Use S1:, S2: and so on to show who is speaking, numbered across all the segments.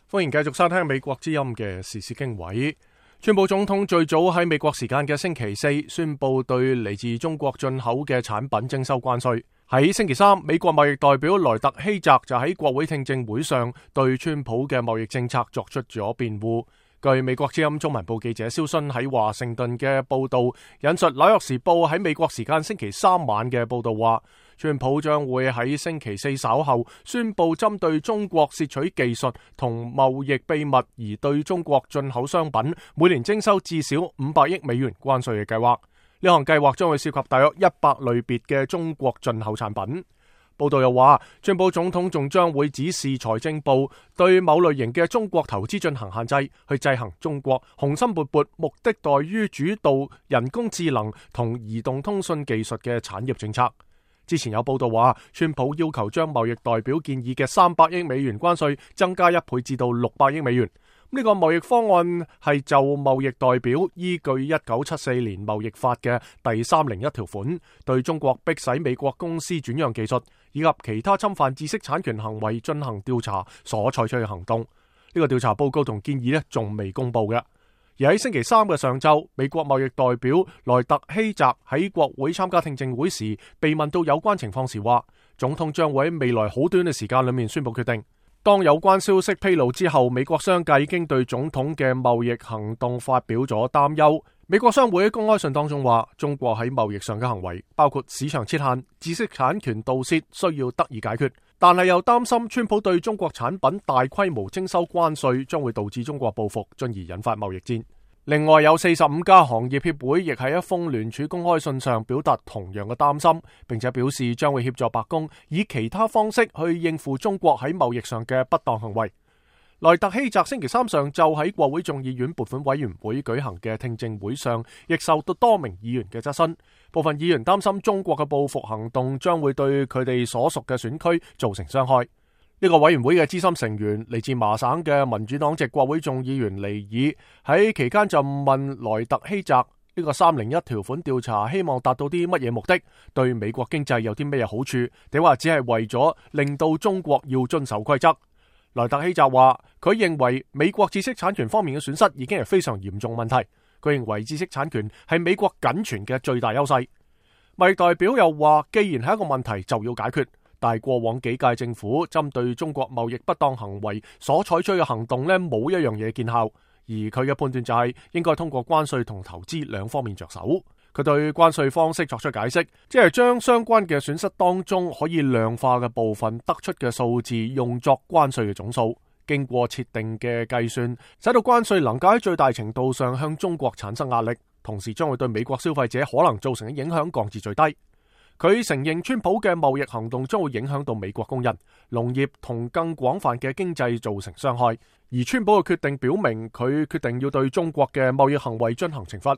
S1: 歡迎繼續收聽美國之音嘅時事經緯。川普總統最早喺美國時間嘅星期四宣布對嚟自中國進口嘅產品徵收關稅。喺星期三，美國貿易代表萊特希澤就喺國會聽證會上對川普嘅貿易政策作出咗辯護。據美國之音中文部記者蕭勳喺華盛頓嘅報道，引述紐約時報喺美國時間星期三晚嘅報道話，川普將會喺星期四稍後宣布針對中國竊取技術同貿易秘密而對中國進口商品每年徵收至少500億美元關稅嘅計劃。呢項計劃將會涉及大約100類別嘅中國進口產品。報道又話，川普總統仲將會指示財政部對某類型嘅中國投資進行限制，去制衡中國雄心勃勃、目的在於主導人工智能同移動通訊技術嘅產業政策。之前有報道話，川普要求將貿易代表建議嘅300億美元關稅增加1倍至到600億美元。呢個貿易方案係就貿易代表依據1974年貿易法嘅第301條款，對中國迫使美國公司轉讓技術以及其他侵犯知識產權行為進行調查所採取嘅行動。呢個調查報告同建議仲未公布嘅。而喺星期三嘅上晝，美國貿易代表萊特希澤喺國會參加聽證會時，被問到有關情況時話，總統將會喺未來好短嘅時間裏面宣布決定。當有關消息披露之後，美國商界已經對總統嘅貿易行動發表咗擔憂。美國商會喺公開信當中話，中國喺貿易上嘅行為，包括市場設限、知識產權盜竊，需要得以解決。但係又擔心川普對中國產品大規模徵收關稅，將會導致中國報復，進而引發貿易戰。另外有45家行業協會亦喺一封聯署公開信上表達同樣嘅擔心，並且表示將會協助白宮以其他方式去應付中國喺貿易上嘅不當行為。萊特希澤星期三上晝喺國會眾議院撥款委員會舉行嘅聽證會上，亦受到多名議員嘅質詢。部分議員擔心中國嘅報復行動將會對佢哋所屬嘅選區造成傷害。呢個委員會嘅資深成員嚟自麻省嘅民主黨籍國會眾議員尼爾喺期間就問萊特希澤，呢個301條款調查希望達到啲乜嘢目的，對美國經濟有啲咩好處，定話只係為咗令到中國要遵守規則。萊特希澤話佢認為美國知識產權方面嘅損失已經係非常嚴重問題，佢認為知識產權係美國僅存嘅最大優勢。貿易代表又話，既然係一個問題就要解決，但係過往幾屆政府針對中國貿易不當行為所採取嘅行動冇一樣嘢見效，而佢嘅判斷就係應該通過關稅同投資兩方面着手。佢對關稅方式作出解釋，即係將相關嘅損失當中可以量化嘅部分得出嘅數字用作關稅嘅總數，經過設定嘅計算，使到關稅能夠喺最大程度上向中國產生壓力，同時將會對美國消費者可能造成嘅影響降至最低。佢承認川普嘅貿易行動將會影響到美國工人、農業同更廣泛嘅經濟造成傷害，而川普嘅決定表明佢決定要對中國嘅貿易行為進行懲罰。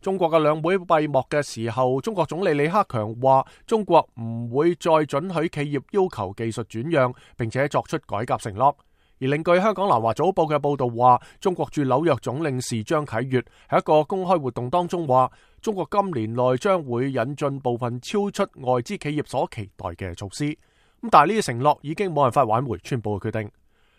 S1: 中國嘅兩會閉幕嘅時候，中國總理李克強話中國唔會再准許企業要求技術轉讓，並且作出改革承諾。而另據香港南華早報嘅報道話，中國駐紐約總領事張啟月喺一個公開活動當中話，中國今年內將會引進部分超出外資企業所期待嘅措施。但係呢啲承諾已經冇辦法挽回川普嘅決定。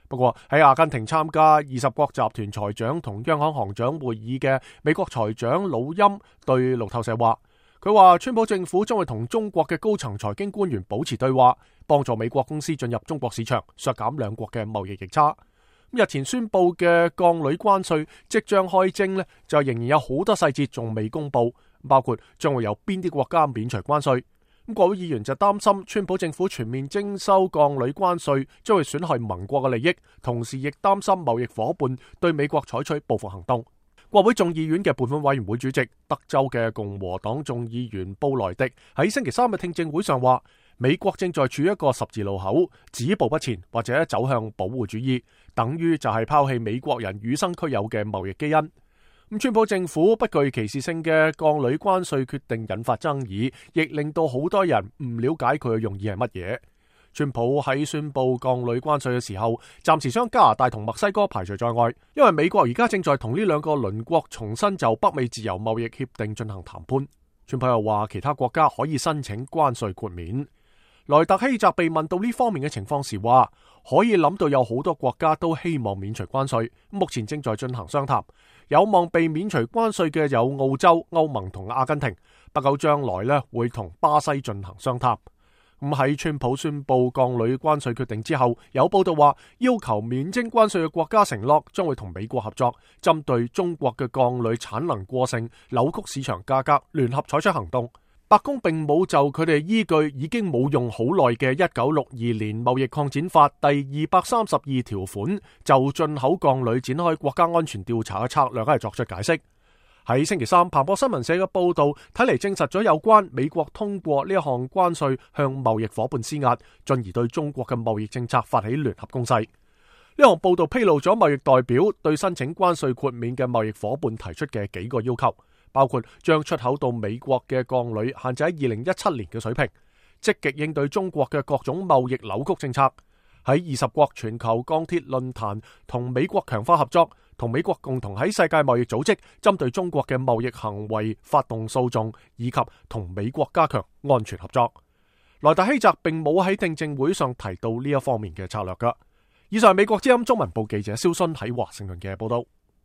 S1: 不過喺阿根廷參加20國集團財長同央行行長會議嘅美國財長魯欽對路透社話，佢話川普政府將會同中國嘅高層財經官員保持對話，幫助美國公司進入中國市場，削減兩國嘅貿易逆差。日前宣布嘅鋼鋁關稅即將開徵就仍然有好多細節仲未公布，包括將會有邊啲國家免除關稅。國會議員就擔心川普政府全面徵收鋼鋁關稅將會損害盟國嘅利益，同時亦擔心貿易夥伴對美國採取報復行動。國會眾議院嘅撥款委員會主席德州嘅共和黨眾議員布萊迪喺星期三嘅聽證會上話，美國正在處於一個十字路口，止步不前或者走向保護主義，等於就係拋棄美國人與生俱有嘅貿易基因。川普政府不具歧視性嘅鋼鋁關稅決定引發爭議，亦令到好多人唔了解佢嘅用意係乜嘢。川普喺宣布鋼鋁關稅嘅時候，暫時將加拿大同墨西哥排除在外，因為美國而家正在同呢兩個鄰國重新就北美自由貿易協定進行談判。川普又話其他國家可以申請關稅豁免。萊特希澤被問到呢方面嘅情況時話，可以諗到有好多國家都希望免除關稅，目前正在進行商談。有望被免除關稅嘅有澳洲、歐盟同阿根廷，不久將來呢會同巴西進行商談。咁喺川普宣布鋼鋁關稅決定之後，有報道話要求免徵關稅嘅國家承諾將會同美國合作，針對中國嘅鋼鋁產能過剩、扭曲市場價格，聯合採取行動。白宮並冇就佢哋依據已經冇用好耐嘅1962年貿易擴展法第232條款，就進口鋼鋁展開國家安全調查嘅策略作出解釋。喺星期三，彭博新聞社嘅報道睇嚟證實咗有關美國通過呢一項關稅向貿易夥伴施壓，進而對中國嘅貿易政策發起聯合攻勢。呢項報道披露咗貿易代表對申請關稅豁免嘅貿易夥伴提出嘅幾個要求，包括將出口到美國嘅鋼鋁限制喺2017年嘅水平，積極應對中國嘅各種貿易扭曲政策，喺20國全球鋼鐵論壇同美國強化合作，同美國共同喺世界貿易組織針對中國嘅貿易行為發動訴訟，以及同美國加強安全合作。萊特希澤並冇喺聽證會上提到呢一方面嘅策略㗎。以上係美國之音中文部記者蕭勳喺華盛頓嘅報道。